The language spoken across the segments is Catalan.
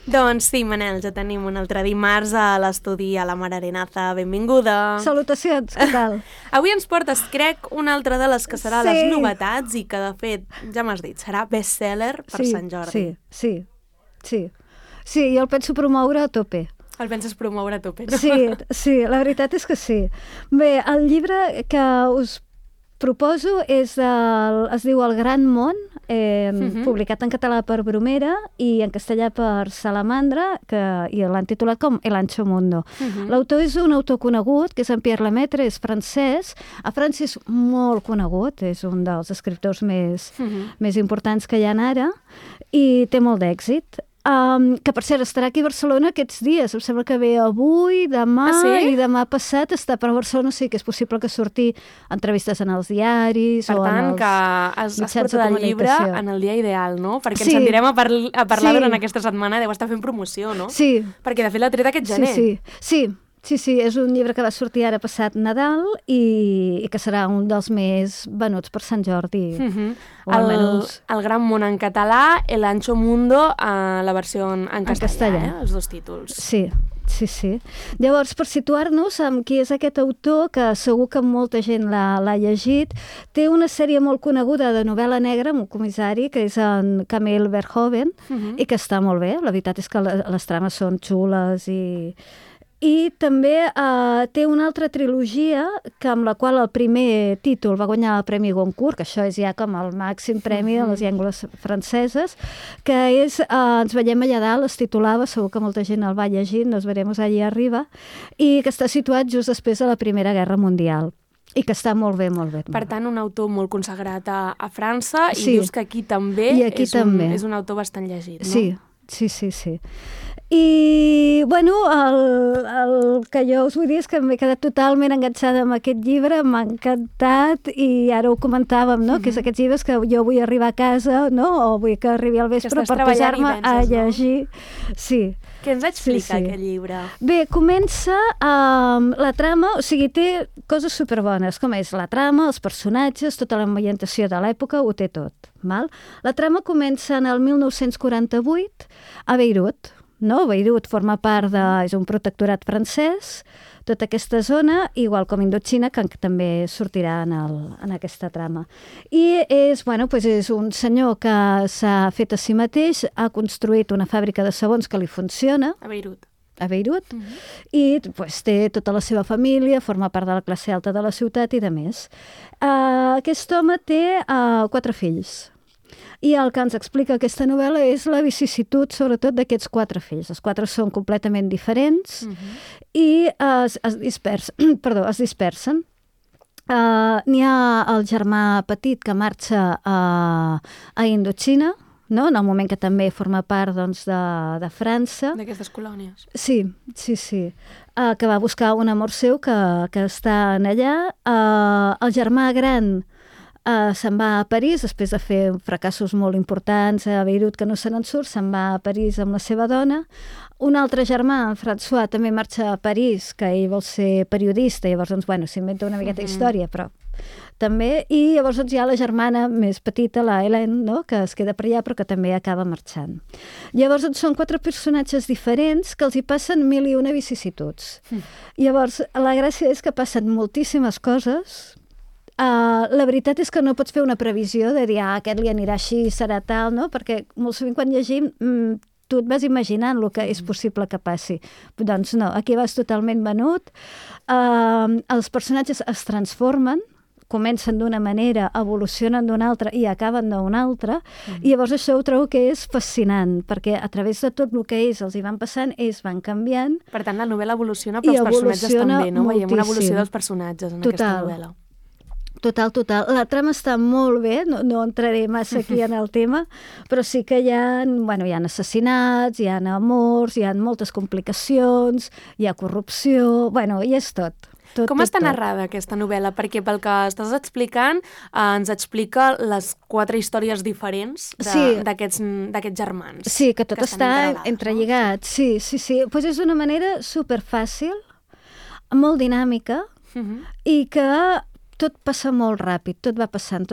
Doncs sí, Manel, ja tenim un altre dimarts a l'estudi a la Mar Arenaza. Benvinguda. Salutacions, què tal? Avui ens portes, crec, una altra de les que serà les novetats i que, de fet, ja m'has dit, serà best-seller per Sant Jordi. Sí, jo el penso promoure a tope. El penses promoure a tope, no? Sí, la veritat és que sí. Bé, el llibre que us proposo es diu El Gran Món, publicat en català per Bromera i en castellà per Salamandra, i l'han titulat com El Ancho Mundo. L'autor és un autor conegut, que és en Pierre Lemaitre, és francès. A França és molt conegut, és un dels escriptors més importants que hi ha ara, i té molt d'èxit. Que, per cert, estarà aquí a Barcelona aquests dies. Em sembla que ve avui, demà i demà passat està per Barcelona. Sí que és possible que surti entrevistes en els diaris o en els mitjans de comunicació. Per tant, que has portat el llibre en el dia ideal, no? Perquè ens sentirem a parlar durant aquesta setmana. Deu estar fent promoció, no? Sí. Perquè, de fet, l'ha tret aquest gener. Sí, és un llibre que va sortir ara passat Nadal i que serà un dels més venuts per Sant Jordi. El Gran Món en català, El Ancho Mundo, la versió en castellà, els dos títols. Sí. Llavors, per situar-nos amb qui és aquest autor, que segur que molta gent l'ha llegit, té una sèrie molt coneguda de novel·la negra amb un comissari, que és en Camille Verhoeven, i que està molt bé. La veritat és que les trames són xules i també té una altra trilogia amb la qual el primer títol va guanyar el Premi Goncourt, que això és ja com el màxim premi de les llengües franceses, que és Ens veiem allà dalt, es titulava, segur que molta gent el va llegir, Nos veremos allí arriba, i que està situat just després de la Primera Guerra Mundial. I que està molt bé. Per tant, un autor molt consagrat a França, i dius que aquí també és un autor bastant llegit, no? Sí. I, bueno, el que jo us vull dir és que m'he quedat totalment enganxada amb aquest llibre, m'ha encantat, i ara ho comentàvem, no? Que és aquests llibres que jo vull arribar a casa, no? O vull que arribi al vespre per posar-me a llegir. Sí. Què ens explica aquest llibre? Bé, comença amb la trama, o sigui, té coses superbones, com és la trama, els personatges, tota l'ambientació de l'època, ho té tot. La trama comença en el 1948 a Beirut. No? Beirut forma part és un protectorat francès, tota aquesta zona, igual com Indochina, que també sortirà en aquesta trama. I és un senyor que s'ha fet a si mateix, ha construït una fàbrica de sabons que li funciona. A Beirut. I té tota la seva família, forma part de la classe alta de la ciutat i de més. Aquest home té 4 fills. I el que ens explica aquesta novel·la és la vicisitud, sobretot, d'aquests 4 fills. Els 4 són completament diferents i es dispersen. N'hi ha el germà petit que marxa a Indochina, no? En el moment que també forma part de França. D'aquestes colònies. Sí. Que va buscar un amor seu que està allà. El germà gran se'n va a París, després de fer fracassos molt importants a Beirut que no se n'en surt, se'n va a París amb la seva dona. Un altre germà, en François, també marxa a París, que ell vol ser periodista, i llavors s'inventa una miqueta història, però també, i llavors hi ha la germana més petita, la Hélène, no? Que es queda per allà però que també acaba marxant. Llavors són 4 personatges diferents que els hi passen 1001 vicissituds. Llavors la gràcia és que passen moltíssimes coses. La veritat és que no pots fer una previsió de dir aquest li anirà així, serà tal, no? Perquè molt sovint quan llegim tu et vas imaginant el que és possible que passi. Doncs no, aquí vas totalment venut. Els personatges es transformen, comencen d'una manera, evolucionen d'una altra i acaben d'una altra, i llavors això ho trobo que és fascinant, perquè a través de tot el que ells els hi van passant, ells van canviant. Per tant, la novel·la evoluciona, però els personatges també, no? Veiem una evolució dels personatges en aquesta novel·la. Total. La trama està molt bé, no entraré massa aquí en el tema, però sí que hi ha assassinats, hi ha amors, hi ha moltes complicacions, hi ha corrupció, hi és tot. Com està narrada aquesta novel·la? Perquè pel que estàs explicant, ens explica les 4 històries diferents d'aquests germans. Sí, que tot està entrelligat. Sí. Pues és d'una manera superfàcil, molt dinàmica, i que tot passa molt ràpid, tot va passant,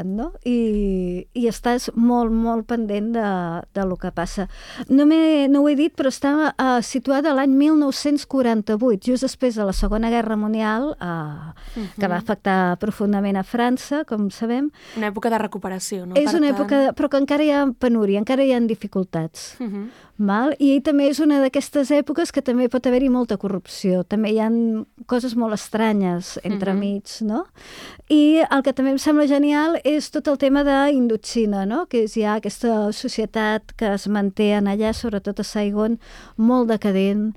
no? I estàs molt, molt pendent de lo que passa. No ho he dit, però està situada l'any 1948, just després de la Segona Guerra Mundial, que va afectar profundament a França, com sabem. Una època de recuperació, no? És una època, però que encara hi ha penúria, encara hi ha dificultats. Val? I també és una d'aquestes èpoques que també pot haver-hi molta corrupció. També hi ha coses molt estranyes entremig, no? I el que també em sembla genial és tot el tema d'Indochina, no? Que és ja aquesta societat que es manté en allà, sobretot a Saigon, molt decadent,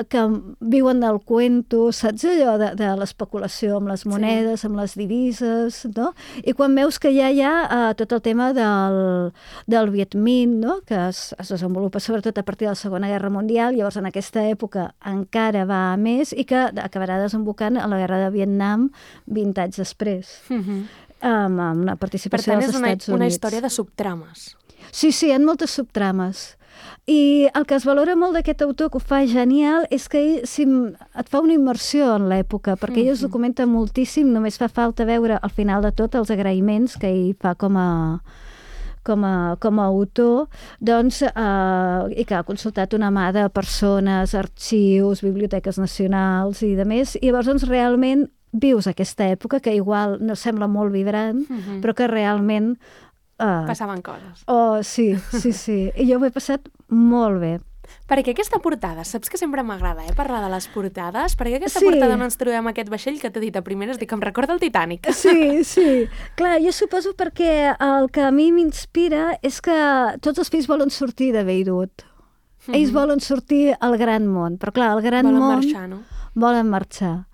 que viuen del cuento, saps allò de l'especulació amb les monedes, amb les divises, no? I quan veus que ja hi ha tot el tema del Viet Minh, no? Que es desenvolupa sobretot a partir de la Segona Guerra Mundial, llavors en aquesta època encara va més i que acabarà desembocant a la Guerra de Vietnam 20 anys després, amb la participació dels Estats Units. Per tant, és una història de subtrames. Sí, hi ha moltes subtrames. I el que es valora molt d'aquest autor, que ho fa genial, és que ell et fa una immersió en l'època, perquè ell es documenta moltíssim, només fa falta veure al final de tot els agraïments que ell fa com a autor, doncs, i que ha consultat una mà de persones, arxius, biblioteques nacionals i de més, i llavors doncs, realment vius aquesta època que igual no sembla molt vibrant, però que realment passaven coses. Oh, sí. I jo ho he passat molt bé. Perquè aquesta portada, saps que sempre m'agrada parlar de les portades? Perquè aquesta portada on ens trobem aquest vaixell que t'he dit a primeres, dic que em recorda el Titanic. Sí. Clar, jo suposo perquè el que a mi m'inspira és que tots els fills volen sortir de Beirut. Ells volen sortir al gran món, però clar, el gran món... Volen marxar, no? Volen marxar.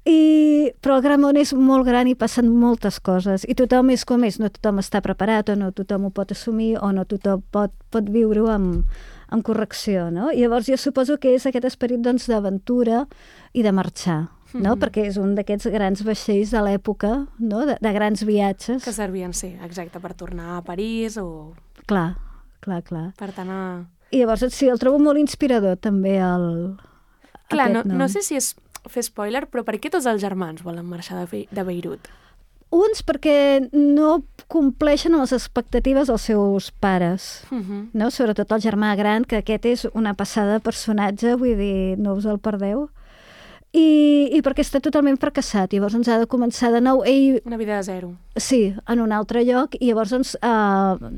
Però el gran món és molt gran i passen moltes coses i tothom és com és, no tothom està preparat o no tothom ho pot assumir o no tothom pot viure-ho amb correcció, no? I llavors jo suposo que és aquest esperit doncs, d'aventura i de marxar, no? Perquè és un d'aquests grans vaixells de l'època, no? De grans viatges. Que servien, sí, exacte, per tornar a París o... Clar. Per tant, I llavors sí, el trobo molt inspirador també Clar, no sé si és fer spoiler, però per què tots els germans volen marxar de Beirut? Uns perquè no compleixen les expectatives dels seus pares, no? Sobretot el germà gran, que aquest és una passada de personatge, vull dir, no us el perdeu. I perquè està totalment fracassat, llavors ens ha de començar de nou. Una vida de zero. Sí, en un altre lloc, i llavors,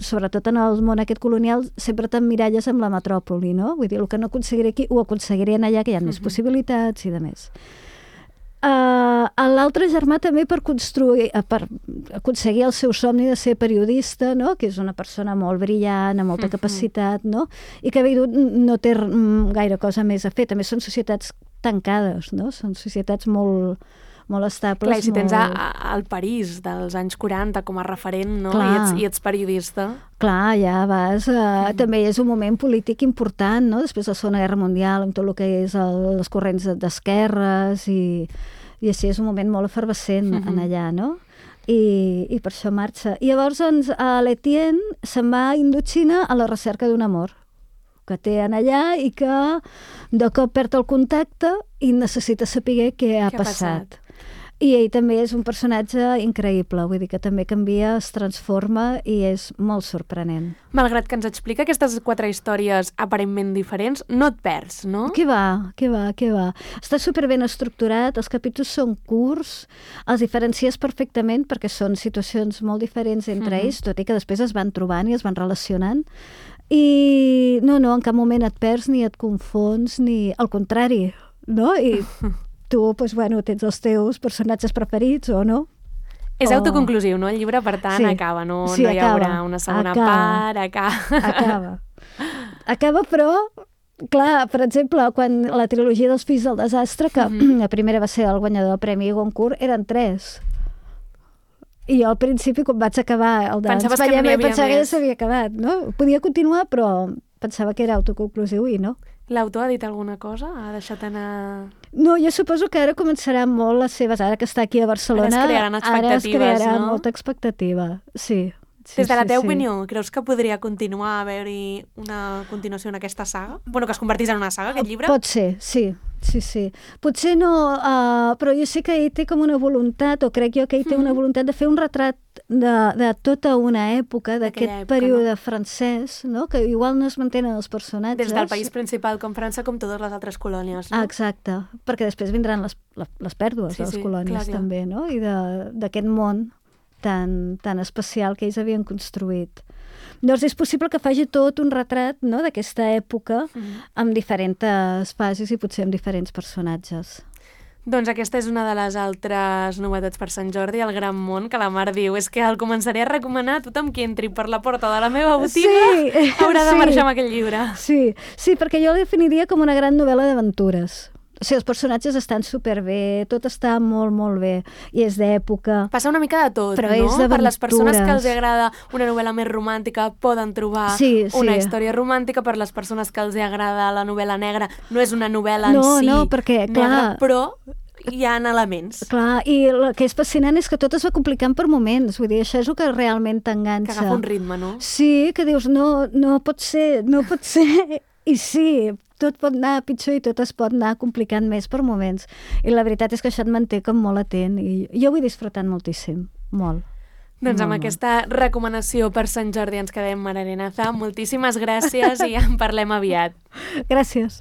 sobretot en el món aquest colonial, sempre t'emmiralles amb la metròpoli, no? Vull dir, el que no aconseguiré aquí, ho aconseguirien allà, que hi ha més possibilitats i de més. L'altre germà també per aconseguir el seu somni de ser periodista, no? Que és una persona molt brillant, amb molta capacitat, no? I que Beirut no té gaire cosa més a fer. També són societats tancades, no? Són societats molt estables. Clar, i si tens el París dels anys 40 com a referent, no? I ets periodista. Clar, ja vas... També és un moment polític important, no? Després de la Segona Guerra Mundial, amb tot el que és les corrents d'esquerres i així és un moment molt efervescent en allà, no? I per això marxa. I llavors, l'Etienne se'n va a Indochina a la recerca d'un amor que té en allà i que de cop perd el contacte i necessita saber què ha passat. I ell també és un personatge increïble, vull dir que també canvia, es transforma i és molt sorprenent. Malgrat que ens explica aquestes 4 històries aparentment diferents, no et perds, no? Què va. Està superben estructurat, els capítols són curts, els diferencies perfectament perquè són situacions molt diferents entre ells, tot i que després es van trobant i es van relacionant. I no, en cap moment et perds ni et confons, ni al contrari, no? I tu, doncs, tens els teus personatges preferits o no? És autoconclusiu, no? El llibre, per tant, acaba, no hi haurà una segona part, Acaba, però, clar, per exemple, quan la trilogia dels Fills del Desastre, que la primera va ser el guanyador del Premi Goncourt, eren 3. I jo al principi, quan vaig acabar el de Pensaves que ja s'havia acabat, no? Podia continuar, però pensava que era autoconclusiu i no. L'autor ha dit alguna cosa? Ha deixat anar... No, jo suposo que ara començarà molt les seves... Ara que està aquí a Barcelona... Ara es crearà molta expectativa, sí. Des de la teva opinió, creus que podria continuar a haver-hi una continuació en aquesta saga? Bueno, que es convertís en una saga, aquest llibre? Pot ser, sí. Sí. Potser no, però jo sé que ell té com una voluntat, o crec jo que ell té una voluntat de fer un retrat de tota una època, d'aquest període francès, no? Que igual no es mantenen els personatges. Des del país principal com França, com totes les altres colònies, no? Exacte, perquè després vindran les pèrdues de les colònies també, no? I d'aquest món tan especial que ells havien construït. Doncs és possible que faci tot un retrat, no?, d'aquesta època amb diferents fases i potser amb diferents personatges. Doncs aquesta és una de les altres novetats per Sant Jordi, el Gran Món, que la Mar diu, és que el començaré a recomanar a tothom qui entri per la porta de la meva botiga haurà de marxar amb aquell llibre. Sí, perquè jo el definiria com una gran novel·la d'aventures. O sigui, els personatges estan superbé, tot està molt, molt bé, i és d'època. Passa una mica de tot, però no? És d'aventures. Per les persones que els agrada una novel·la més romàntica poden trobar una història romàntica, per les persones que els agrada la novel·la negra no és una novel·la en si perquè, negra, però hi ha elements. Clar, i el que és fascinant és que tot es va complicant per moments, vull dir, això és el que realment t'enganxa. Que agafa un ritme, no? Sí, que dius, no pot ser, i sí, tot pot anar pitjor i tot es pot anar complicant més per moments. I la veritat és que això et manté com molt atent i jo ho he disfrutat moltíssim, molt. Doncs amb aquesta recomanació per Sant Jordi ens quedem, Mar Arenaza. Moltíssimes gràcies i en parlem aviat. Gràcies.